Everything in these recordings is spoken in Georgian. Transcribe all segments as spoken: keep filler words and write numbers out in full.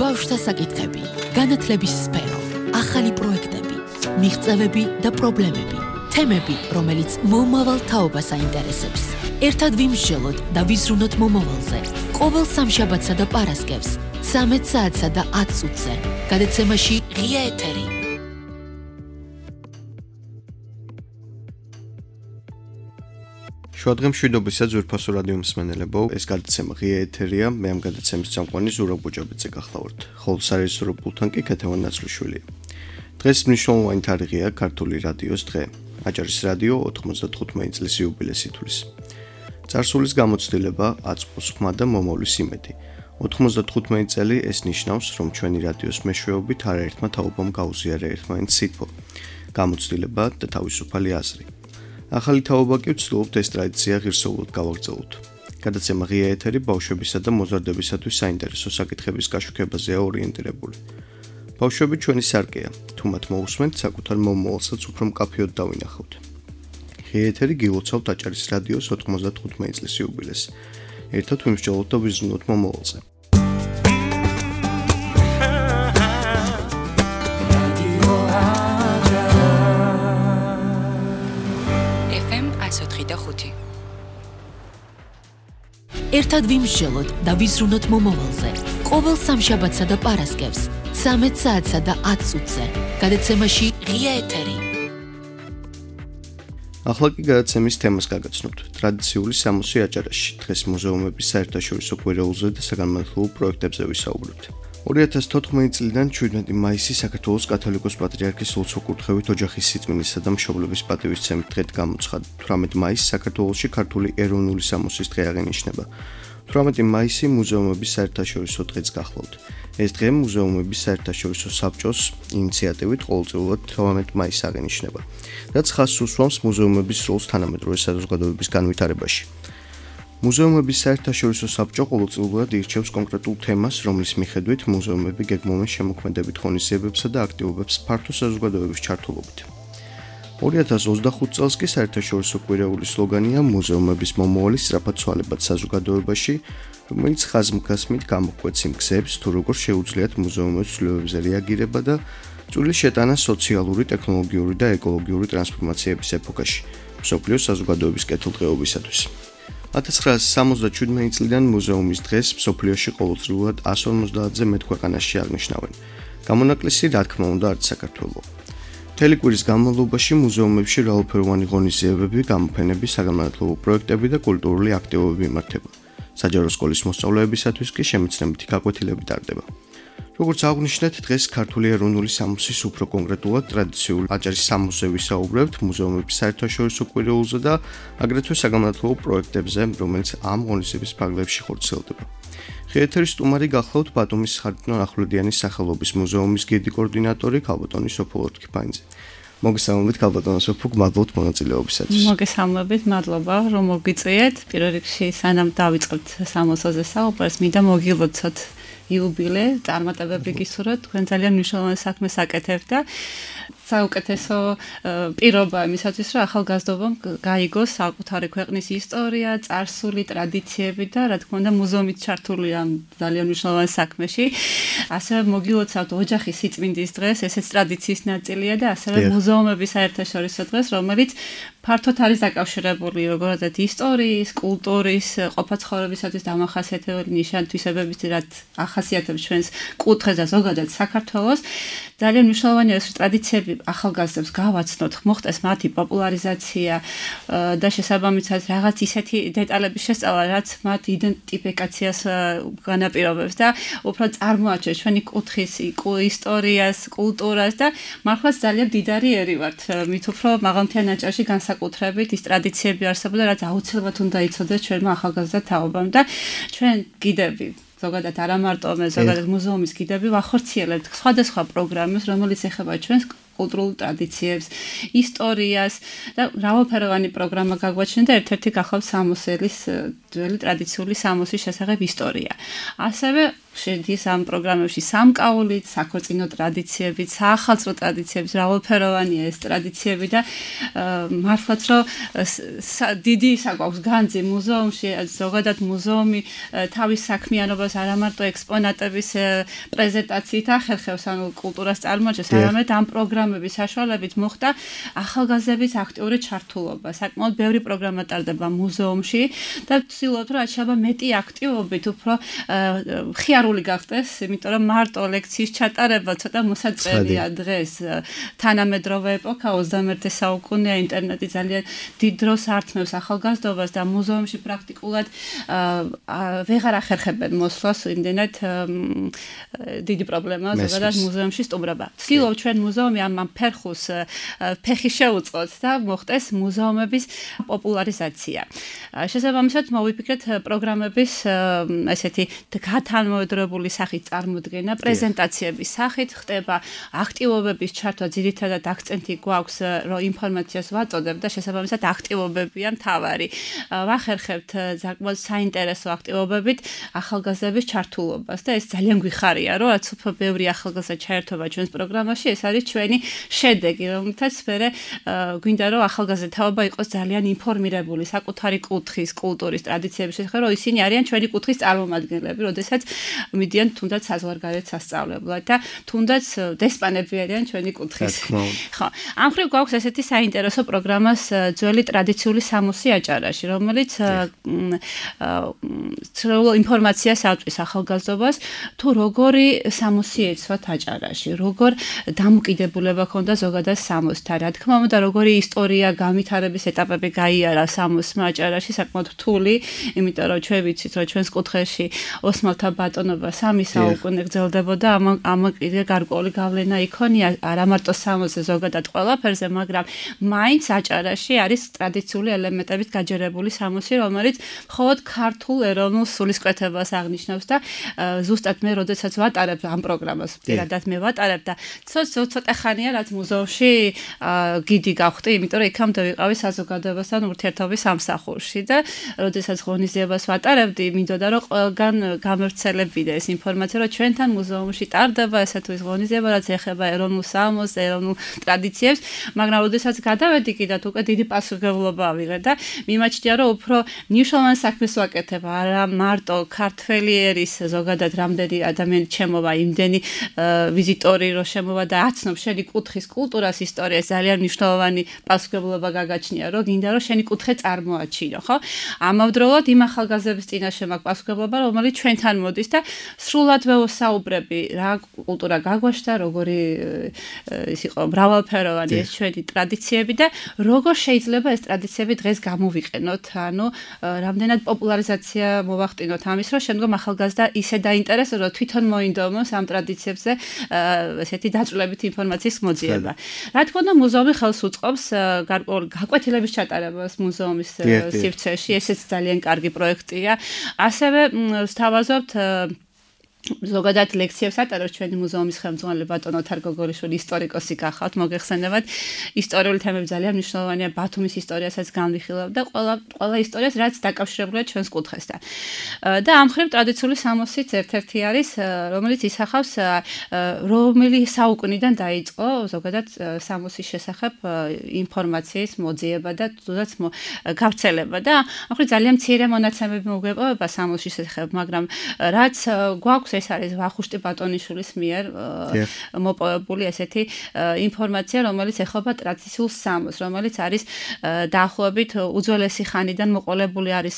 ბავშვთა საკითხები, განათლების სფერო, ახალი პროექტები, მიღწევები და პრობლემები, თემები, რომელიც მომავალ თაობას აინტერესებს. ერთად ვიმსჯელოთ და ვიზრუნოთ მომავალზე. ყოველ სამშაბათსა და პარასკევს, ცამეტ საათსა და ათ წუთზე, გადაცემაში ღია ეთერი. შუადღე მშვიდობისა ძვირფასო რადიო მსმენელებო, ეს გადაცემა ღია ეთერია, მე ამ გადაცემის წამყვანი ზურაბ ბუჯაბიძე გახლავართ. ხოლო სარეჟისორო პულტთან კი ქეთევან ნაცვლიშვილია. დღეს მნიშვნელოვანი თარიღია ქართული რადიოს დღე. აჭარის რადიო ოთხმოცდათხუთმეტი წლის იუბილეს ითვლის. წარსულის გამოცდილება, აწმყოს ხმა და მომავლის იმედი. ოთხმოცდათხუთმეტი წელი ეს ნიშნავს, რომ ჩვენი რადიოს მეშვეობით არაერთმა თაობამ გაუზიარა ერთმანეთს სითბო, გამოცდილება და თავისუფალი აზრი. ახალი თაობა კი ვცდილობთ ეს ტრადიცია ღირსეულად გავაგრძელოთ. გადაცემა ღია ეთერი ბავშვებისა და მოზარდებისათვის საინტერესო საკითხების გაშუქებაზეა ორიენტირებული. ბავშვები ჩვენი სარკეა, თუ მათ მოусმენთ, საკუთარ მომავალსაც უფრო მკაფიოდ დავინახავთ. ღია ეთერი გილოცავთ აჭარის რადიოს ოთხმოცდათხუთმეტი წლის იუბილეს. ერთად ვიმსჯელოთ და ვიზრუნოთ მომავალზე. ერთად ვიმსჯელოთ და ვიზრუნოთ მომავალზე. ყოველ სამშაბათსა და პარასკევს, ცამეტ საათსა და ათ წუთზე, გადაცემაში ღია ეთერი. ახლა კი გადაცემის თემას გაგაცნობთ. ტრადიციული სამოსი აჭარაში. დღეს მუზეუმების საერთაშორისო კვირეულზე და საგანმანათლებლო პროექტებზე ვისაუბრებთ. ორი ათას თოთხმეტი წლიდან ჩვიდმეტი მაისი საქართველოს კათოლიკოს პატრიარქის ლოცვა-კურთხევით ოჯახის სიწმინდისა და მშობლების პატივისცემით დღედ გამოცხადდა. თვრამეტი მაისი საქართველოში ქართული ეროვნული სამოსის დღე აღინიშნება. თვრამეტი მაისი მუზეუმების საერთაშორისო დღეც გახლავთ. ეს დღე მუზეუმების საერთაშორისო საბჭოს ინიციატივით ყოველწლიურად თვრამეტი მაისს აღინიშნება, რაც ხაზს უსვამს მუზეუმების როლს თანამედროვე საზოგადოების განვითარებაში. მუზეუმების საერთაშორისო საბჭო ყოველწლიურად ირჩევს კონკრეტულ თემას, რომლის მიხედვით მუზეუმები გეგმავენ შემოქმედებით ღონისძიებებსა და აქტივობებს ფართო საზოგადოების ჩართულობით. ორი ათას ოცდახუთი წელს კი საერთაშორისო კვირეულის სლოგანია მუზეუმების მომავალი სწრაფად ცვალებად საზოგადოებაში, რომელიც ხაზმგასმით გამოკვეთს იმ გზებს, თუ როგორ შეუძლიათ მუზეუმებს ცვლილებებზე რეაგირება და წვრილი შეტანა სოციალური, ტექნოლოგიური და ეკოლოგიური ტრანსფორმაციების ეპოქაში, მსოფლიო საზოგადოების კეთილდღეობისათვის. ათას ცხრაასი სამოცდაშვიდმეტი წლიდან მუზეუმის დღეს მსოფლიოში ყოველწლიურად εκατს ორმოცდაათზე მეტ ქვეყანაში აღნიშნავენ. გამონაკლისი, რა თქმა უნდა, არც საქართველო. მთელი კვირის განმავლობაში მუზეუმებში მრავალფეროვანი ღონისძიებები, გამოფენები, საგანმანათლებლო პროექტები და კულტურული აქტივობები იმართება. საჯარო სკოლის მოსწავლეებისათვის კი შემეცნებითი გაკვეთილები ტარდება. როგორც აღვნიშნეთ, დღეს ქართული ეროვნული სამოსის უფრო კონკრეტულად ტრადიციული აჭარის სამოსზე ვისაუბრებთ მუზეუმების საერთაშორისო კვირეულზე და აგრეთვე საგანმანათლებლო პროექტებზე, რომელიც ამ ღონისძიების ფარგლებში ხორციელდება. ღია ეთერის სტუმარი გახლავთ ბათუმის ხარიტნო ახვლედიანის სახელობის მუზეუმის გიდი კოორდინატორი ქალბატონი სოფო ლორთქიფანიძე. მოგესალმებით ქალბატონო სოფო, მადლობთ მონაწილეობისათვის. მოგესალმებით, მადლობა რომ მოგვიწვიეთ. პირველ რიგში სანამ დავიწყებთ სამოსოზე საუბარს, მინდა მოგილოცოთ იუბილე, წარმატებები გისურვოთ, თქვენ ძალიან მნიშვნელოვანი საქმეს აკეთებთ და საუკეთესო პირობა იმისათვის, რომ ახალგაზრდობამ გაიგოს საკუთარი ქვეყნის ისტორია, წარსული, ტრადიციები და რა თქმა უნდა მუზეუმით ჩართული ამ ძალიან მნიშვნელოვან საქმეში. ასევე მოგილოცავთ ოჯახის სიწმინდის დღეს, ესეც ტრადიციის ნაწილია და ასევე მუზეუმების საერთაშორისო დღეს, რომელიც ფართოდ არის დაკავშირებული როგორც ისტორიის, კულტურის, ყოფაცხოვრებისათვის დამახასიათებელი ნიშან-თვისებებით, რაც ახასიათებს ჩვენს კუთხეს და ზოგადად საქართველოს. ძალიან მნიშვნელოვანია ეს ტრადიციები ახალგაზრდებს გავაცნოთ, მოხდეს მათი პოპულარიზაცია და შესაბამისად რაღაც ისეთი დეტალების შესწავლა, რაც მათ იდენტიფიკაციას განაპირობებს და უფრო წარმოაჩენს ჩვენი კუთხის ისტორიას, კულტურას და მართლაც ძალიან მდიდარი ერი ვართ. მით უფრო მაღალმთიან აჭარაში განსაკუთრებით ის ტრადიციები არსებობდა, რაც აუცილებლად უნდა იცოდეს ჩვენმა ახალგაზრდა თაობამ და ჩვენ გიდები ზოგადად არა მარტო მე ზოგადად მუზეუმის გიდები ვახორციელებთ სხვადასხვა პროგრამებს, რომელიც ეხება ჩვენს კულტურულ ტრადიციებს, ისტორიას და მრავალფეროვანი პროგრამა გაგვაჩნია და ერთ-ერთი გახლავთ სამოსელის ძველი ტრადიციული სამოსის შესახებ ისტორია. ასევე შედის ამ პროგრამებში სამკაულით, საქორწინო ტრადიციებით, საახალწლო ტრადიციებით, მრავალფეროვანია ეს ტრადიციები და მართლაც რომ დიდი ისა გვაქვს განძი მუზეუმში, ზოგადად მუზეუმი თავის საქმიანობას არა მარტო ექსპონატების პრეზენტაციით ახერხებს, ანუ კულტურას წარმოაჩენს, არამედ ამ პროგრამების საშუალებით მოხდა ახალგაზრდების აქტიური ჩართულობა. საკმაოდ ბევრი პროგრამა ტარდება მუზეუმში და ვცდილობთ, რომ რაც შეიძლება მეტი აქტივობით უფრო ხიარული გახდეს, იმიტომ რომ მარტო ლექციის ჩატარება ცოტა მოსაწერია დღეს. თანამედროვე ეპოქა ოცდამეერთე საუკუნეა, ინტერნეტი ძალიან დიდ დროს ართმევს ახალგაზრდობას და მუზეუმში პრაქტიკულად ვეღარ ახერხებენ მოსვლას, იმდენად დიდი პრობლემაა ზოგადად მუზეუმში სტუმრობა. ვცდილობთ ჩვენ მუზეუმი ამ ფერხუს ფეხი შეუწყოთ და მოხდეს მუზეუმების პოპულარიზაცია. შესაბამისად მოვიფიქრეთ პროგრამების ესეთი გათანმოედრებული სახით წარმოდგენა, პრეზენტაციების სახით ხდება აქტივობების ჩართვა, ძირითადად აქცენტი გვაქვს, რომ ინფორმაციას ვაწოდებ და შესაბამისად აქტივობებია მთავარი. ვახერხებთ საკმაოდ საინტერესო აქტივობებით ახალგაზრდების ჩართულობას და ეს ძალიან გვიხარია, რომ რაც უფრო ბევრი ახალგაზრდა ჩაერთვება ჩვენს პროგრამაში, ეს არის ჩვენი შედეგი, რომელთაც მერე გვინდა რომ ახალგაზრდა თაობა იყოს ძალიან ინფორმირებული საკუთარი კუთხის, კულტურის, ტრადიციების შესახებ, რომ ისინი არიან ჩვენი კუთხის წარმომადგენლები, როდესაც მიდიან თუნდაც საზღვარგარეთ სასწავლებლად და თუნდაც დესპანები არიან ჩვენი კუთხის. ხო, ამ ხრივ გვაქვს ესეთი საინტერესო პროგრამას ძველი ტრადიციული სამოსი აჭარაში, რომელიც ინფორმაციას აწვის ახალგაზრდობას თუ როგორი სამოსი ეცვათ აჭარაში, როგორ დამოკიდებულება ქონდა ზოგადად სამოსთან, რა თქმა უნდა, როგორი ისტორია, განვითარების ეტაპები გაიარა სამოსმა აჭარაში, საკმაოდ რთული, იმიტომ რომ ჩვენ ვიცით, რომ ჩვენს კუთხეში ოსმალთა ბატონობა სამი საუკუნე გრძელდებოდა, ამ კიდე გარკვეული გავლენა იქონია არა მარტო სამოსზე, ზოგადად ყველაფერზე, მაგრამ მაინც აჭარაში არის ტრადიციული ელემენტებით გაჯერებული სამოსი, რომელიც მხოლოდ ქართულ ეროვნულ სულისკვეთებას აღნიშნავს და ზუსტად მე როდესაც ვატარებ ამ პროგრამას, პირადად მე ვატარებ და ცოტა ხანია რაც მუზეუმში გიდი გავხდი, იმიტომ რომ იქამდე ვიყავი საზოგადოებასთან ურთიერთობის სამსახურში და როდესაც ღონისძიებას ვატარებდი, მინდოდა რომ ყველგან გამევრცელებინა ეს ინფორმაცია, რომ ჩვენთან მუზეუმში ტარდება ესა თუ ის ღონისძიება, რაც ეხება ეროვნულ სამოსს, ეროვნულ ტრადიციებს, მაგრამ როდესაც გადავედი კიდათ უკვე დიდი პასუხისმგებლობა ავიღე და მიმაჩნია რომ უფრო მნიშვნელოვან საქმეს ვაკეთებ, არა მარტო ქართველი ერის ზოგადად რამდენი ადამიანი ჩემოვა, იმდენი ვიზიტორი რო შემოვა და აცნობ შენი კუთხის კულტურას, ისტორიას, ძალიან მნიშვნელოვანი პასუხისმგებლობა გაგაჩნია, რომ გინდა რომ შენი კუთხე წარმოაჩინო, ხო? ამავდროულად იმ ახალგაზრდების წინაშე მაქვს პასუხისმგებლობა, რომელიც ჩვენთან მოდის და სრულად ვეოსაუბრები, რა კულტურა გაგვაშთა, როგორი ის იყო მრავალფეროვანი ეს ჩვენი ტრადიციები და როგორ შეიძლება ეს ტრადიციები დღეს გამოვიყენოთ, ანუ რამდენად პოპულარიზაცია მოვახდინოთ ამის, რომ შემდგომ ახალგაზრდა ისე დაინტერესოს, რომ თვითონ მოინდომოს ამ ტრადიციებზე ესეთი დაწვრილებით ინფორმაციის მოძიება. რა თქმა უნდა, მუზეუმი ხელს უწყობს გარკვეული გაკვეთილების ჩატარებას მუზეუმის სივრცეში, ესეც ძალიან კარგი პროექტია. ასევე ვსთავაზობთ ზოგადად ლექციებს ატარებს ჩვენი მუზეუმის ხელმძღვანელი ბატონო ოთარ გოგოლიშვილი, ისტორიკოსი გახავთ, მოგეხსენებათ, ისტორიული თემები ძალიან მნიშვნელოვანია, ბათუმის ისტორიასაც განვიხილავ და ყველა ყველა ისტორიას, რაც დაკავშირებულია ჩვენს კუთხესთან. და ამ ხრივ ტრადიციული სამოსიც ერთ-ერთი არის, რომელიც ისახავს რომელი საუკუნიდან დაიწყო ზოგადად სამოსის შესახებ ინფორმაციის მოძიება და თუნდაც გავრცელება და ამ ხრივ ძალიან მცირე მონაცემები მოგვეპოვება სამოსის შესახებ, მაგრამ რაც გვაქვს ეს არის ვახუშტი ბატონიშვილის მიერ მოპოვებული ესეთი ინფორმაცია, რომელიც ეხება ტრადიციულ სამოსს, რომელიც არის დაახლოებით უძველესი ხანიდან მოყოლებული არის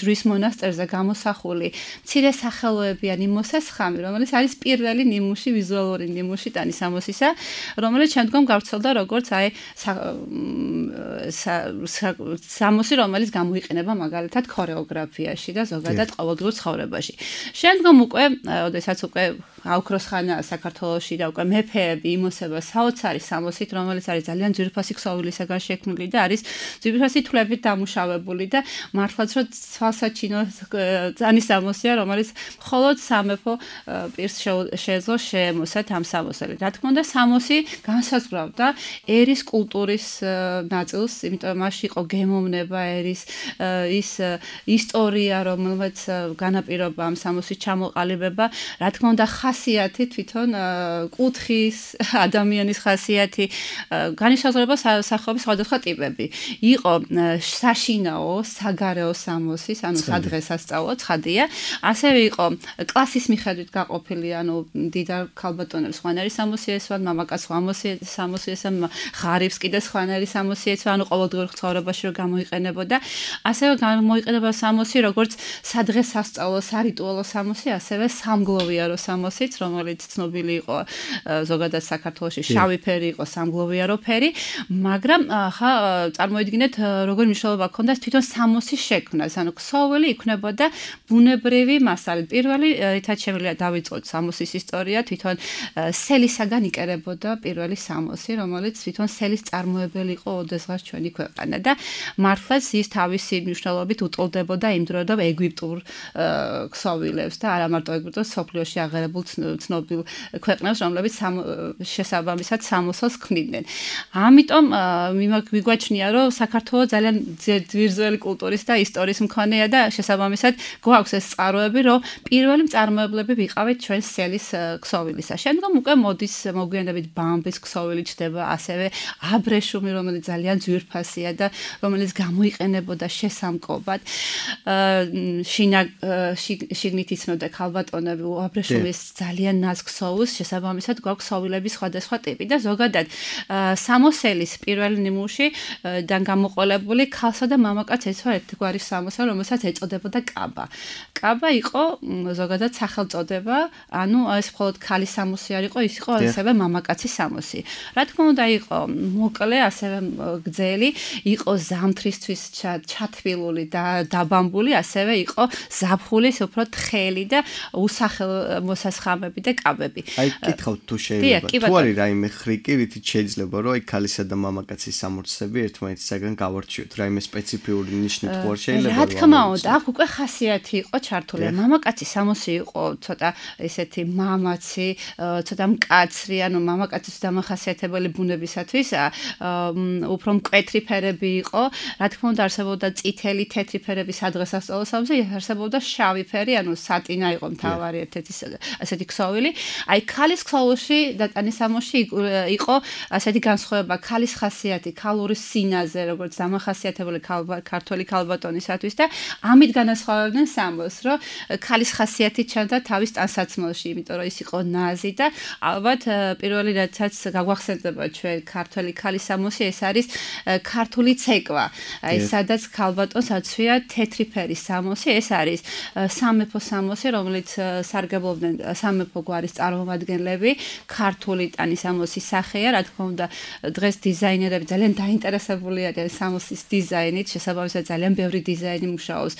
ჯვრის მონასტერზე გამოსახული მცირე სახელოებიანი მოსასხამი, რომელიც არის პირველი ნიმუში, ვიზუალური ნიმუში ტანი სამოსისა, რომელიც შემდგომ გავრცელდა როგორც აი სამოსი, რომელიც გამოიყენება მაგალითად ქორეოგრაფიაში და ზოგადად ყოველდღიურ ცხოვრებაში. შემდგომ უკვე ოდესაც უკვე აუქროს ხანა საქართველოში და უკვე მეფეები იმოსება საოცარი სამოსით, რომელიც არის ძალიან ძვირფასი ქსოვილისაგან შექმნილი და არის ძვირფასი თვლებით დამუშავებული და მართლაც რომ თვალსაჩინო ძანი სამოსია, რომელიც მხოლოდ სამეფო პირს შეეძლო შეემოსათ ამ სამოსელი. რა თქმა უნდა, სამოსი განსაზღვრავდა ერის კულტურის ნაწილს, იმიტომ რომ მასში იყო გემოვნება ერის ის ისტორია, რომელიც განაპირობა ამ სამოსის ჩამოყალიბებას განისაზღვრება, რა თქმა უნდა, ხასიათი თვითონ კუთხის ადამიანის ხასიათი განისაზღვრება სახეობის სხვადასხვა ტიპები. იყო საშინაო, საგარეო სამოსის, ანუ სადღესასწაულო ცხადია, ასევე იყო კლასის მიხედვით გაყოფილი, ანუ დიდარ ქალბატონებს სხვანაირი სამოსი ესვა, მამაკაცს სამოსი ესვა, ღარიბს კიდე სხვანაირი სამოსი ესვა, ანუ ყოველდღიურ ცხოვრებაში რომ გამოიყენებოდა. ასევე გამოიყენება სამოსი, როგორც სადღესასწაულო, სარიტუალო სამოსი, ასევე სამგლოვიარო სამოსიც, რომელიც ცნობილი იყო ზოგადად საქართველოში, შავი ფერი იყო, სამგლოვიარო ფერი, მაგრამ ხა წარმოიდგინეთ, როგორი მნიშვნელობა ჰქონდა თვითონ სამოსის შექმნას, ანუ ქსოვილი იქნებოდა ბუნებრივი მასალით. პირველი რითაც შემიძლია დავიწყოთ სამოსის ისტორია, თვითონ სელისაგან იკერებოდა პირველი სამოსი, რომელიც თვითონ სელის წარმოებელი იყო ოდესღაც ჩვენი ქვეყანა და მართლაც ის თავისი მნიშვნელობით უტოლდებოდა იმ დროიდან ეგვიპტურ ქსოვილებს და არა მარტო ეგვიპტოს, სოფლიოში აღარებულ ცნობილ ქვეყნებს, რომლებიც შესაბამისად სამოსელს ქმნიდნენ. ამიტომ მიგვაჩნია, რომ საქართველო ძალიან ძვირძველი კულტურის და ისტორიის მქონეა და შესაბამისად გვაქვს ეს წყაროები, რომ პირველი მწარმოებლები ვიყავით ჩვენ სელის ქსოვილისა. შემდგომ უკვე მოდის მოგვიანებით ბამბის ქსოვილი ჩდება, ასევე აბრეშუმი, რომელიც ძალიან ძვირფასია და რომელიც გამოიყენებოდა შესამკობად. შინა შიგნით იცნობდა ქალბატონები აბრეშუმის ძალიან ნაზ ქსოვილს, შესაბამისად გვაქვს ქსოვილების სხვადასხვა ტიპი და ზოგადად სამოსელის პირველი ნიმუშიდან გამოყოლებული ქალსა და მამაკაცს ეცვა ერთგვარი სამოსელი, რომელსაც ეწოდებოდა კაბა. კაბა იყო ზოგადად სახელწოდება, ანუ ეს მხოლოდ ქალის სამოსი არ იყო, ის იყო ასევე მამაკაცის სამოსი. რა თქმა უნდა, იყო მოკლე, ასევე გრძელი, იყო ზამთრისთვის ჩათბილული და დაბამბული, ასევე იყო ზაფხულის უფრო თხელი და უსახელ მოსასხამები და კაბები. აი, კითხავთ თუ შეიძლება, თუ არის რაიმე ხრიკი, რითიც შეიძლება, რომ აი ქალისა და მამაკაცის სამორცები ერთმანეთისაგან გავარჩიოთ, რაიმე სპეციფიური ნიშნით თუ არ შეიძლება? რა თქმა უნდა, აქ უკვე ხასიათი იყო ჩართული. მამაკაცის სამოსი იყო ცოტა ესეთი მამაცი, ცოტა მკაცრი, ანუ მამაკაცის დამახასიათებელი ბუნებისათვის უფრო მკვეთრი ფერები იყო. რა თქმა უნდა, არსებობდა წითელი, თეთრი ფერები სადღესასწაულო სამოსი, არსებობდა შავი ფერი, ანუ სატინა იყო მთავარი ერთ-ერთი ასეთი ქსოვილი. აი, ქალის ქსოვილში და ტანის სამოსში იყო ასეთი განსხვავება, ქალის ხასიათი, ქალური სინაზე, როგორც დამახასიათებელი ქართველი ქალბატონისათვის და ამით განასხვავებდნენ სამოსს, რომ ქალის ხასიათი ჩანდა თავის ტანსაცმელში, იმიტომ რომ ის იყო ნაზი და ალბათ პირველი რაცაც გაგვახსენდება ჩვენ ქართველი ქალის სამოსი, ეს არის ქართული ცეკვა. აი, სადაც ქალბატონს აცვია თეთრი ფერის სამოსი, ეს არის სამეფო სამოსი, რომელიც სარგებლობდნენ სამეფო გვარის წარმომადგენლები, ქართული ტანის სამოსის სახეა, რა თქმა უნდა, დღეს დიზაინერები ძალიან დაინტერესებული არიან სამოსის დიზაინით, შესაბამისად ძალიან ბევრი დიზაინი მუშაობს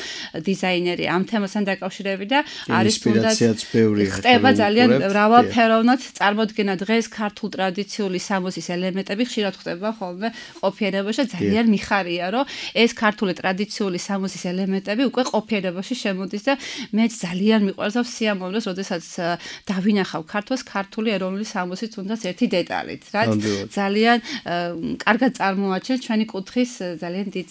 დიზაინერი ამ თემასთან დაკავშირებით და არის ინსპირაციაც ბევრია. ხდება ძალიან მრავალფეროვნად წარმოდგენა დღეს ქართულ ტრადიციული სამოსის ელემენტები ხშირად ხდება ხოლმე ყოფიერებაში, ძალიან მიხარია, რომ ეს ქართული ტრადიციული სამოსის ელემენტები უკვე ყოფიერებაში შემოდის და მეც ძალიან მიყვარს და სიამოვნებს, როდესაც დავინახავ ქართულს ქართული ეროვნული სამოსის თუნდაც ერთი დეტალით, რაც ძალიან კარგად წარმოაჩენს ჩვენი კუთხის ძალიან დიდ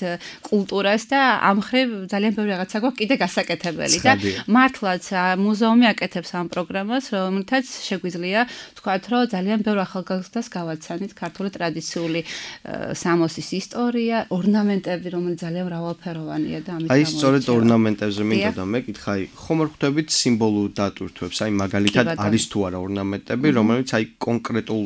კულტურას და ამ მხრივ ძალიან ბევრი რაღაცა გვაქვს კიდე გასაკეთებელი და მართლაც მუზეუმი აკეთებს ამ პროგრამას, რომელთაც შეგვიძლია ვთქვათ, რომ ძალიან ბევრ ახალგაზრდას გავაცანით ქართული ტრადიციული სამოსის ისტორია, ორნამენტები, რომელიც ძალიან მრავალფეროვანია და ამით აი, სწორედ ორნამენტებზე მინდა და მეკითხა, აი, ხომ არ ხვდებით სიმბოლურ დატვირთვებს, აი, მაგალითად არის თუ არა ორნამენტები, რომელიც აი კონკრეტულ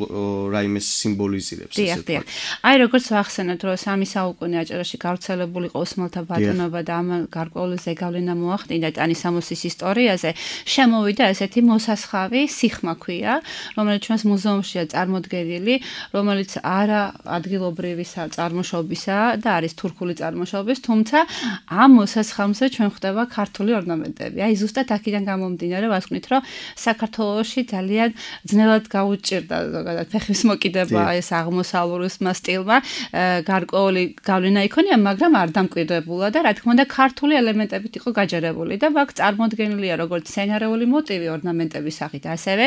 რაიმეს სიმბოლიზირებს, ესე ვთქვათ. აი, როგორც ვახსენეთ, რომ სამი საუკუნე აჭარაში გავრცელებული იყო ოსმალთა ბატონობა და ამ გარკვეული ზეგავლენა მოახდინა ტანის სამოსის ისტორიაზე, შემოვიდა ესეთი მოსასხავი, სიხმა ქვია, რომელიც ჩვენს მუზეუმშია წარმოდგენილი, რომელიც არა ადგილობრივი წარმოშობისაა და არის თურქული წარმოშობის, თუმცა ამ მოსასხამზე ჩვენ ხვდება ქართული ორნამენტები. აი, ზუსტად აქედან გამომდინარე, ვასკვნით, რომ საქართველოში ძალიან ძნელად გაუჭირდა ზოგადად ფეხის მოკიდება ეს აღმოსავლური სტილმა, გარკვეული გავლენა იქონია, მაგრამ არ დამკვიდრებულა და რა თქმა უნდა ქართული ელემენტებით იყო გაჯერებული და აქ წარმოდგენილია როგორც სცენარეული მოტივი ორნამენტების სახით, ასევე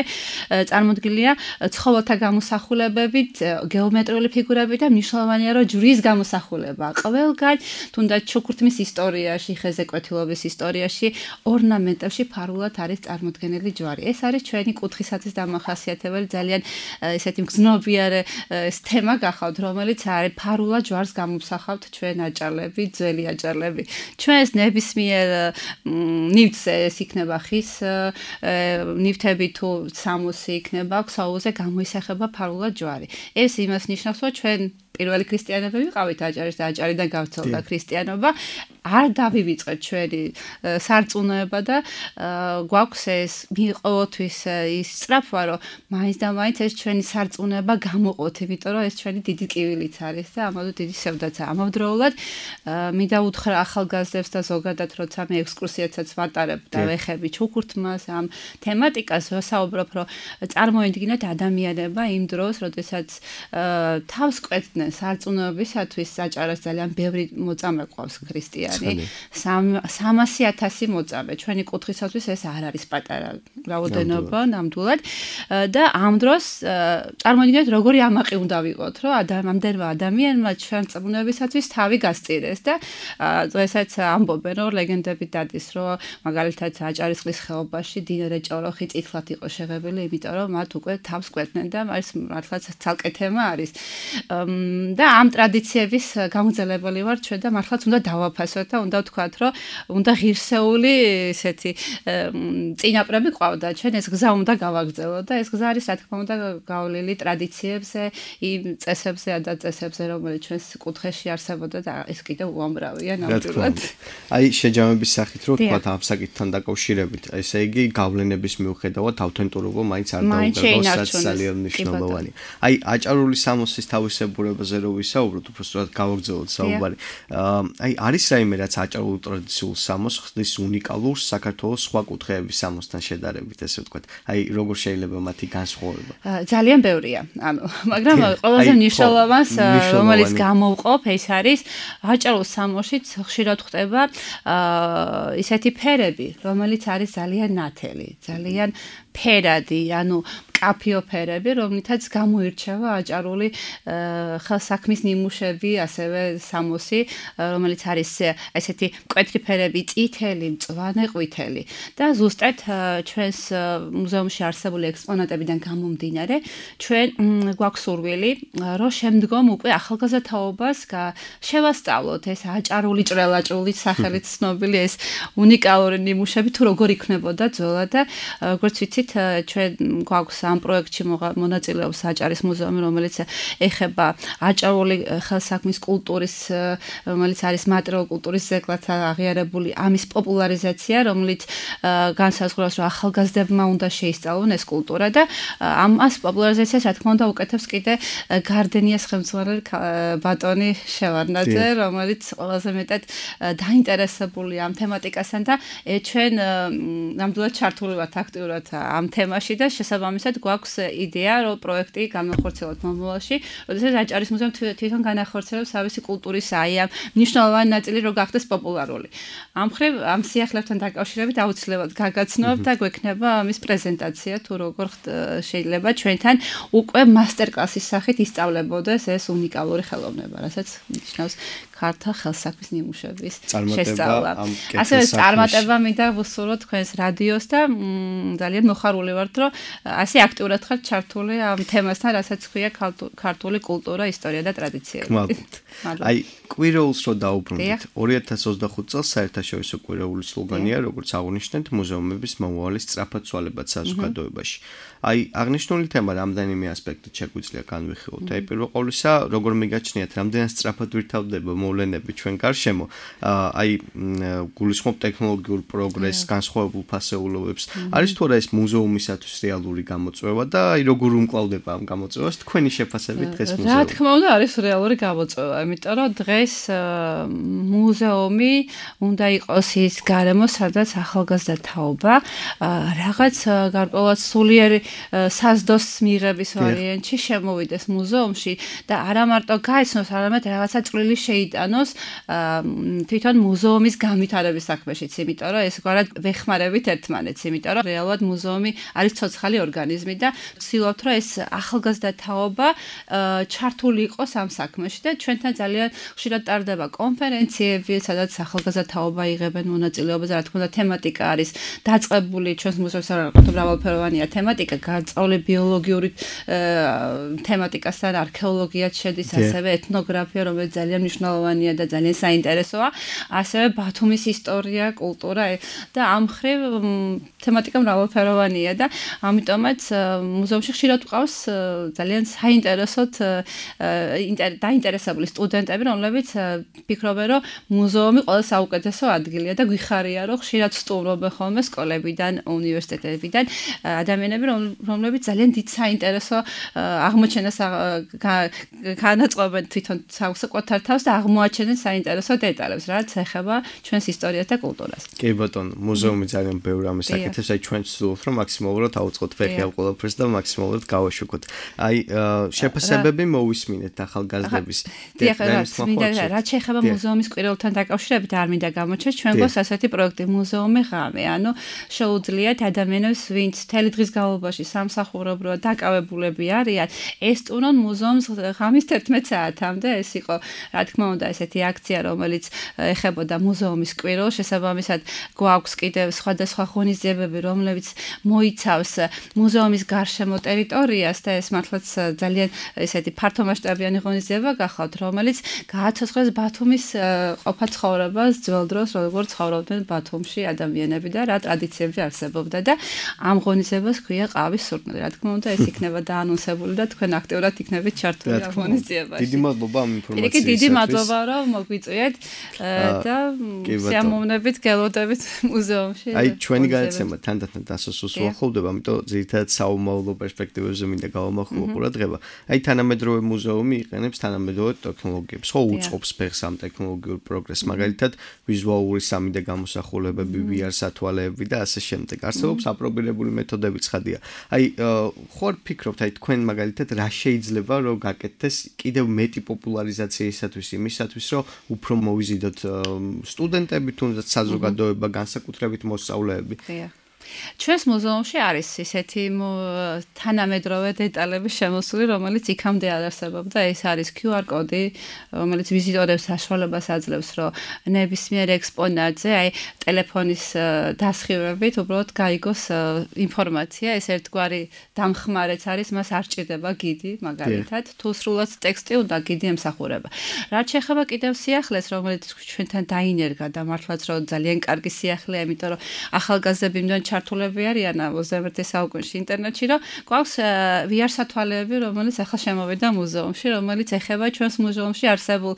წარმოდგენილია ცხოველთა გამოსახულებებით, გეომეტრიული ფიგურები და მნიშვნელოვანია, რომ ჯვრის გამოსახულება. ყველგან, თუნდაც ჩუქურთმის ისტორიაში, ხეზე კვეთილობის ისტორიაში, ორნამენტებში ფარულად არის წარმოდგენილი ჯვარი. ეს არის ჩვენი კუთხისათვის დამახასიათებელი ძალიან ესეთი მგრძნობიარე ეს თემა გახავთ, რომელიც არის ფარულად ჯვარს გამომსახავთ ჩვენ აჭარლები, ძველი აჭარლები. ჩვენს ნებისმიერ ნივთზე ეს იქნება ხის ნივთები თუ სამოსი იქნება, ქსოვილზე გამოისახება ფარულად ჯვარი. ეს იმას ნიშნავს, რომ ჩვენ პირველი ქრისტიანები ვიყავით აჭარის და აჭარიდან გავრცელდა ქრისტიანობა. არ დავივიწყეთ ჩვენი სარწმუნოება და გვაქვს ეს მიყოთვის ის სწრაფვა, რომ მაინც და მაინც ეს ჩვენი სარწმუნოება გამოყოთ, იმიტომ რომ ეს ჩვენი დიდი კივილიც არის და ამავდროულად დიდი სევდაცაა. ამავდროულად მინდა უთხრა ახალგაზრდებს და ზოგადად როცა მე ექსკურსიაცაც ვატარებ და ვეხები ჩუქურთმას ამ თემატიკას, ვსაუბრობ, რომ წარმოიდგინეთ ადამიანება იმ დროს, როდესაც თავს კვეთდნენ სარწმუნოებისათვის აჭარას ძალიან ბევრი მოწამე ყავს ქრისტიანი. სამასი ათასი მოწამე. ჩვენი კუთხისათვის ეს არ არის პატარა რაოდენობა ნამდვილად და ამ დროს წარმოიდგინეთ როგორი ამაყი უნდა ვიყოთ, რომ ამდენმა ადამიანმა ჩვენ წმუნებისათვის თავი გასწირეს და დღესაც ამბობენ, რომ ლეგენდები დადის, რომ მაგალითად აჭარისწყლის ხეობაში დინარე ჭოროხი წითლად იყო შეღებილი, იმიტომ რომ მათ უკვე თავს კვეთდნენ და ეს მართლაც ცალკე თემა არის. და ამ ტრადიციების გამგზელებელი ვარ ჩვენ და მართლაც უნდა დავაფასოთ და უნდა ვთქვათ, რომ უნდა ღირსეული ესეთი წინაპრები ყავდა. ჩვენ ეს გზა უნდა გავაგრძელოთ და ეს გზა არის, რა თქმა უნდა, გავლილი ტრადიციებზე, იმ წესებზე და წესებზე, რომელიც ჩვენს კუთხეში არსებობდა და ეს კიდევ უამრავია ნამდვილად. აი, შეჯამების სახით რო ვთქვათ ამ საკითხთან დაკავშირებით, ესე იგი გავლენების მიუხედავად ავთენტურობა მაინც არ დაუგროვოს, ძალიან მნიშვნელოვანი. აი, აჭარული სამოსის თავისებურებაზე რო ვისაუბროთ, უბრალოდ გავაგრძელოთ საუბარი. აი, არის რაიმე რაც აჭარულ ტრადიციულ სამოს ხდის უნიკალურ საქართველოს სხვა კუთხეების სამოსთან შედარებით, ესე ვთქვათ. აი, როგორ შეიძლება მათი განსხვავება? ძალიან ბევრია. ანუ, მაგრამ ყველაზე მნიშვნელოვანს, რომელიც გამოვყოფ, ეს არის აჭარულ სამოსშიც ხშირად ხდება ისეთი ფერები, რომელიც არის ძალიან ნათელი, ძალიან ფერადი, ანუ კაფიო ფერები, რომლითაც გამოირჩევა აჭარული ხელსაქმის ნიმუშები, ასევე სამოსი, რომელიც არის ესეთი მკვეთრი ფერები, წითელი, მწვანე, ყვითელი. და ზუსტად ჩვენს მუზეუმში არსებული ექსპონატებიდან გამომდინარე, ჩვენ გვაქვს სურვილი, რომ შემდგომ უკვე ახალგაზრდაობას შევასწავლოთ ეს აჭარული ჭრელაჭრული სახელით ცნობილი ეს უნიკალური ნიმუშები თუ როგორ იქნებოდა ძველად და როგორც ვიცით, ჩვენ გვაქვს ამ პროექტში მონაწილეობს აჭარის მუზეუმი, რომელიც ეხება აჭარული ხელსაქმის კულტურის, რომელიც არის მატერიალურ კულტურის ძეგლად აღიარებული, ამის პოპულარიზაცია, რომელიც განსაზღვრავს, რომ ახალგაზრდებმა უნდა შეისწავლონ ეს კულტურა და ამას პოპულარიზაციას, რა თქმა უნდა, უკეთებს კიდე გარდენიას ხელმძღვანელი ბატონი შევარდნაძე, რომელიც ყველაზე მეტად დაინტერესებულია ამ თემატიკასთან და ჩვენ ნამდვილად ჩართული ვართ აქტიურად ამ თემაში და შესაბამისად გვაქვს იდეა, რომ პროექტი განახორციელოთ მომავალში, როდესაც აჭარის მუზეუმი თვითონ განახორციელებს თავისი კულტურის აი ამ მნიშვნელოვანი ნაწილი რო გახდეს პოპულარული. ამ მხრივ ამ სიახლებთან დაკავშირებით აუცილებლად გაგაცნობ და გვექნება ამის პრეზენტაცია თუ როგორ შეიძლება ჩვენთან უკვე მასტერკლასის სახით ისწავლებოდეს ეს უნიკალური ხელოვნება, რასაც ნიშნავს ქართულ ხელსაქმის ნიმუშების შესწავლა. ასევე წარმატება მინდა ვუსურვოთ თქვენს რადიოს და ძალიან მოხარული ვართ, რომ ასე აქტიურად ხართ ჩართული ამ თემასთან, რასაც ქვია ქართული კულტურა, ისტორია და ტრადიციები. აი, კვირეულს რო დაუბრუნდით, ორი ათას ოცდახუთ წელს საერთაშორისო კვირეული სლოგანია, როგორც აღნიშნეთ, მუზეუმების მომავალი სწრაფად ცვალებად საზოგადოებაში. აი, აღნიშნული თემა რამდენიმე ასპექტით შეგვიძლია განვიხილოთ. აი, პირველ ყოვლისა, როგორ მიგაჩნიათ, რამდენად სწრაფად ვითარდება მოვლენები ჩვენ გარშემო, აი, გულისხმობ ტექნოლოგიურ პროგრესს, განსხვავებულ ფასეულობებს. არის თუ არა ეს მუზეუმისათვის რეალური გამოწვევა და აი, როგორ უმკლავდება ამ გამოწვევას თქვენი შეფასებით დღეს მუზეუმი? რა თქმა უნდა, არის რეალური გამოწვევა, იმიტომ რომ დღეს მუზეუმი უნდა იყოს ის გარემო, სადაც ახალგაზრდა თაობა რაღაც გარკვეულად სულიერი საზდოს მიღების ვარიანტში შემოვიდეს მუზეუმში და არა მარტო გაიცნოს, არამედ რაღაცა წვლილი გამიტანოს თვითონ მუზეუმის განვითარების საქმეშიც, იმიტომ რომ ეს გვარად ვეხმარებით ერთმანეთს, იმიტომ რომ რეალურად მუზეუმი არის ცოცხალი ორგანიზმი და ვცდილობთ, რომ ეს ახალგაზრდა თაობა ჩართული იყოს ამ საქმეში და ჩვენთან ძალიან ხშირად ტარდება კონფერენციები, სადაც ახალგაზრდა თაობა იღებენ მონაწილეობას, რა თქმა უნდა, თემატიკა არის დაწყებული ჩვენს მუზეუმში მრავალფეროვანია თემატიკა, განსწავლე ბიოლოგიური თემატიკასთან არქეოლოგიაც შედის, ასევე ეთნოგრაფია, რომელიც ძალიან მნიშვნელოვანია და ძალიან საინტერესოა, ასევე ბათუმის ისტორია, კულტურა და ამ მხრივ თემატიკა მრავალფეროვანია და ამიტომაც მუზეუმში ხშირად ვყავს ძალიან საინტერესოდ დაინტერესებული სტუდენტები, რომლებიც ფიქრობენ, რომ მუზეუმი ყველა საუკეთესო ადგილია და გვიხარია, რომ ხშირად სტუმრობენ ხოლმე სკოლებიდან, უნივერსიტეტებიდან ადამიანები, რომლებიც ძალიან დიდ საინტერესო აღმოჩენას განაწყობენ თვითონ საკუთარ თავს და აღმოაჩენენ საინტერესო დეტალებს, რაც ეხება ჩვენს ისტორიას და კულტურას. კი ბატონო, მუზეუმი ძალიან ბევრი ამის აკეთებს, აი ჩვენ ვცდილობთ, რომ მაქსიმალურად ავუწყოთ ფეხი ამ ყველაფერს და მაქსიმალურად გავაშუქოთ. აი შეფასებები მოვისმინეთ ახალგაზრდების. დიახ, რაც შეეხება მუზეუმის კვირაულთან დაკავშირებით, არ მინდა გამოჩეს, ჩვენ გვაქვს ასეთი პროექტი მუზეუმი ღამე, ანუ შეუძლიათ ადამიანებს, ვინც მთელი დღის განმავლობაში სამსახურობრივად დაკავებულები არიან, ესტუმრონ მუზეუმს ღამის თერთმეტ საათამდე. ეს იყო, რა თქმა უნდა, ესეთი აქცია, რომელიც ეხებოდა მუზეუმის კვირაულს, შესაბამისად გვაქვს კიდევ სხვადასხვა ღონისძიებები, რომლებიც მოიცავს მუზეუმის გარშემო ტერიტორიას და ეს მართლაც ძალიან ესეთი ფართომასშტაბიანი ღონისძიება გახლავთ, რომელიც გააცოცხლებს ბათუმის ყოფა ცხოვრებას ძველ დროს, როგორც ცხოვრობდნენ ბათუმში ადამიანები და რა ტრადიციები არსებობდა და ამ ღონისძიებას ქვია ყავის სურნელი. რა თქმა უნდა, ეს იქნება დაანონსებული და თქვენ აქტიურად იქნებით ჩართული ამ ღონისძიებაში. დიდი მადლობა ამ ინფორმაციისათვის. კი, დიდი მადლობა, რომ მოგვიწვიეთ და სიამოვნებით გელოდებით მუზეუმში. აი, ჩვენი გადაცემა თანდათან დასასრულს უახლოვდება, ამიტომ ძირითადად საომავლო პერსპექტივებზე მინდა გავამახვილო ყურადღება. აი, თანამედროვე მუზეუმი იყენებს თანამედროვე ტექნოლოგიებს, ხო უწყობს ფეხს ამ ტექნოლოგიურ პროგრესს, მაგალითად ვიზუალური სამი დე გამოსახულებები, ვი არ სათვალეები და ასე შემდეგ. არსებობს აპრობირებული მეთოდები ცხადია. აი, ხო ფიქრობთ, აი თქვენ მაგალითად რა შეიძლება რომ გაკეთდეს კიდევ მეტი პოპულარიზაციისათვის, იმისათვის რომ უფრო მოვიზიდოთ სტუდენტები, თუნდაც საზოგადოება, განსაკუთრებით მოსწავლეები. ჩვენს მუზეუმში არის ისეთი თანამედროვე დეტალების შემოსული, რომელიც იქამდე არ არსებობდა. ეს არის კიუ არ კოდი, რომელიც ვიზიტორებს საშუალებას აძლევს, რომ ნებისმიერ ექსპონატზე, აი ტელეფონის დასხივებით უბრალოდ გაიგოს ინფორმაცია. ეს ერთგვარი დამხმარეც არის, მას არ ჭირდება გიდი, მაგალითად, თუ სრულად ტექსტი უნდა გიდი ემსახურება. რაც შეეხება კიდევ სიახლეს, რომელიც ჩვენთან დაინერგა და მართლაც რომ ძალიან კარგი სიახლეა, იმიტომ რომ ახალგაზრდები მიდან ჩართულები არიან ოცდამეერთე საუკუნეში ინტერნეტში, რომ გვაქვს ვი არ სათვალეები, რომელიც ახლა შემოვიდა მუზეუმში, რომელიც ეხება ჩვენს მუზეუმში არსებულ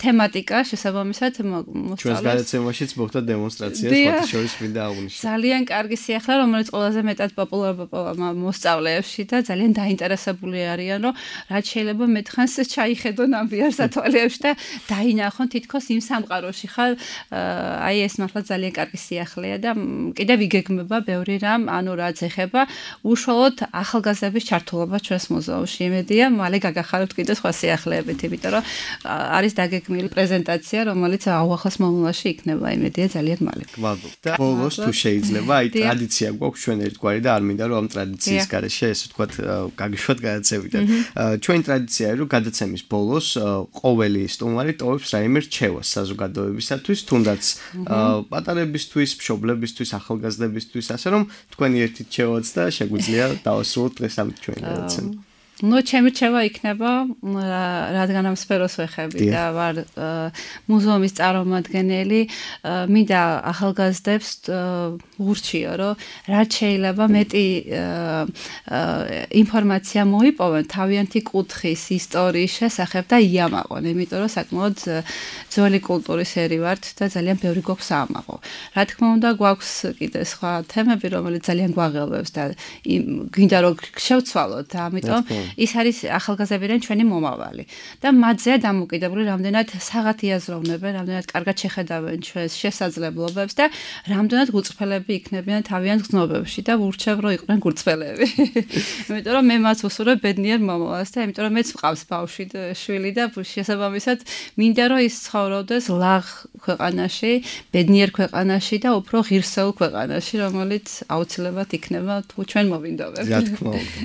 თემატიკას, შესაბამისად მოსწავლეს. ჩვენს გადაცემაშიც მოხდა დემონსტრაცია, სხვათა შორის მინდა აღვნიშნო. ძალიან კარგი სიახლე, რომელიც ყველაზე მეტად პოპულარობა მოსწავლეებში და ძალიან დაინტერესებული არიან, რომ რაც შეიძლება მეტხანს ჩაიხედონ ამ ვი არ სათვალეებში და დაინახონ თითქოს იმ სამყაროში ხარ. აი ეს მართლა ძალიან კარგი სიახლეა და კიდევ იგეგმება ბევრი რამ, ანუ რაც ეხება უშუალოდ ახალგაზრდების ჩართულობა ჩვენს მუზეუმში. იმედია, მალე გაგახარებთ კიდე სხვა სიახლეებით, იმიტომ რომ არის დაგეგმილი პრეზენტაცია, რომელიც აუახლოს მომავალში იქნება, იმედია ძალიან მალე. გმადლობთ. და ბოლოს თუ შეიძლება, აი ტრადიცია გვაქვს ჩვენ ერთგვარი და არ მინდა რომ ამ ტრადიციის გარეშე ესე ვთქვათ, გაგიშვათ გადაცემიდან. ჩვენი ტრადიციაა, რომ გადაცემის ბოლოს ყოველი სტუმარი ტოვებს რაიმე რჩევას საზოგადოებისათვის, თუნდაც პატარებისთვის, მშობლებისთვის, ახალგაზრდებისთვის, ასე რომ თქვენი ერთი რჩევაც და შეგვიძლია დავასრულოთ დღეს ამ ჩვენი გადაცემა. ნუ ჩემი რჩევა იქნება, რადგან ამ სფეროს ვეხები და ვარ მუზეუმის წარმომადგენელი, მინდა ახალგაზრდებს ვურჩიო, რომ რაც შეიძლება მეტი ინფორმაცია მოიპოვონ თავიანთი კუთხის ისტორიის შესახებ და იამაყონ, იმიტომ რომ საკმაოდ ძველი კულტურის ერი ვართ და ძალიან ბევრი გვაქვს აამაყო. რა თქმა უნდა, გვაქვს კიდე სხვა თემები, რომელიც ძალიან გვაღელვებს და გინდა რომ შევცვალოთ და ამიტომ ის არის ახალგაზრდებიდან ჩვენი მომავალი და მათზეა დამოკიდებული რამდენად საღათ იაზროვნებენ, რამდენად კარგად შეხედავენ ჩვენს შესაძლებლობებს და რამდენად გულწრფელები იქნებიან თავიანთ გზნობებში და ურჩევ რომ იყვნენ გულწრფელები. იმიტომ რომ მე მას ვუსურვებ ბედნიერ მომავალს და იმიტომ რომ მეც მყავს ბავშვი და შვილი და შესაბამისად მინდა რომ ის ცხოვრობდეს ლაღ ქვეყანაში, ბედნიერ ქვეყანაში და უფრო ღირსეულ ქვეყანაში, რომელიც აუცილებლად იქნება თუ ჩვენ მოვინდობებთ. რა თქმა უნდა.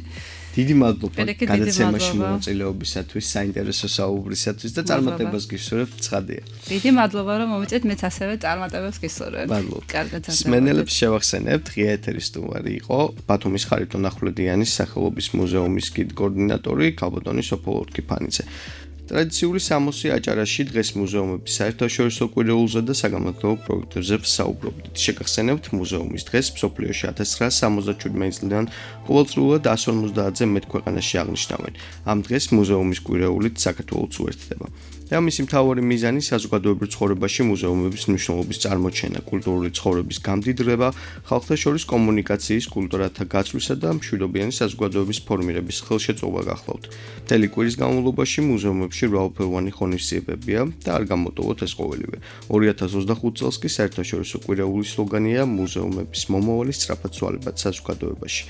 დიდი მადლობა გადაცემაში მონაწილეობისათვის, საინტერესო საუბრისათვის და წარმატებას გისურვებთ, ცხადია. დიდი მადლობა რომ მომიწევთ, მეც ასევე წარმატებას გისურვებ. მადლობა. კარგად გასაგებია. სმენელებს შევახსენებთ, ღია ეთერის სტუმარი იყო ბათუმის ხარიტონ ახვლედიანის სახელობის მუზეუმის გიდ კოორდინატორი ქალბატონი სოფო ლორთქიფანიძე. ტრადიციული სამოსი აჭარაში დღეს მუზეუმების საერთაშორისო კვირეულზე და საგანმანათლებლო პროექტებზე ვსაუბრობთ. შეგახსენებთ, მუზეუმის დღეს მსოფლიოში ათას ცხრაასი სამოცდაშვიდი წლიდან ყოველწლიურად εκατს ორმოცდაათზე მეტ ქვეყანაში აღნიშნავენ. ამ დღეს მუზეუმის კვირეულით საქართველოც უერთდება. და მისი მთავარი მიზანი საზოგადოებრივ ცხოვრებაში მუზეუმების მნიშვნელობის წარმოჩენა, კულტურული ცხოვრების გამდიდრება, ხალხთა შორის კომუნიკაციის კულტურათა გაცვლისა და მშვიდობიანი საზოგადოების ფორმირების ხელშეწყობა გახლავთ. მთელი კვირის განმავლობაში მუზეუმებში მრავალფეროვანი ღონისძიებებია და არ გამოტოვოთ ეს ყოველივე. ორი ათას ოცდახუთი წელს კი საერთაშორისო კვირეულის სლოგანია მუზეუმების მომავალი სწრაფად ცვალებად საზოგადოებაში,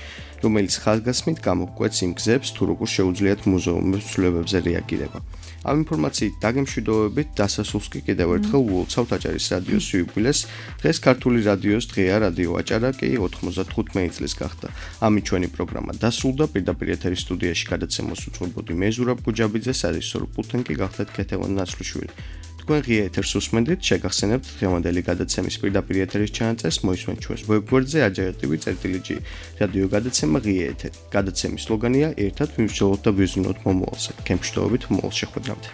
რომელიც ხაზგასმით გამოგკვეთს იმ გზებს, თუ როგორ შეუძლიათ მუზეუმების ცვლილებებზე რეაგირება. ამ ინფორმაციით დაგემშვიდობებით დასასრულს კი კიდევ ერთხელ ვულოცავთ აჭარის რადიოს იუბილეს. დღეს ქართული რადიოს დღეა რადიო აჭარა კი ოთხმოცდათხუთმეტი წლის გახდა. ამით ჩვენი პროგრამა დასრულდა. პირდაპირ ეთერის სტუდიაში გადაცემას უწყობოდი მე ზურაბ გუჯაბიძე, სარისორო პულტთან კი გახდათ ქეთევან ნაცვლიშვილი. თქვენ ღია ეთერს უსმენთ, შეგახსენებთ დღევანდელი გადაცემის პირდაპირ ეთერის ჩანაწერს, მოისმენთ ჩვენს ვებგვერდზე ajar.tv.gr. რადიო გადაცემა ღია ეთერი. გადაცემის სლოგანია ერთად ვიმსჯელოთ და ვიზრუნოთ მომავალზე. გემშვიდობით მომავალ შეხვედრამდე.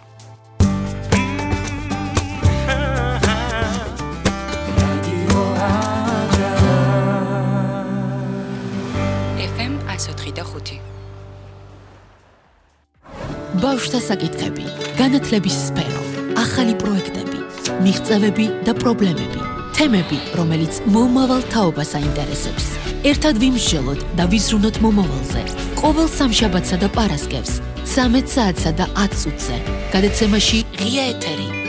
ბავშვთა საკითხები, განათლების სფერო, ახალი პროექტები, მიღწევები და პრობლემები, თემები, რომელიც მომავალ თაობას აინტერესებს. ერთად ვიმსჯელოთ და ვიზრუნოთ მომავალზე. ყოველ სამშაბათსა და პარასკევს, ცამეტ საათსა და ათ წუთზე. გადაცემაში ღია ეთერი.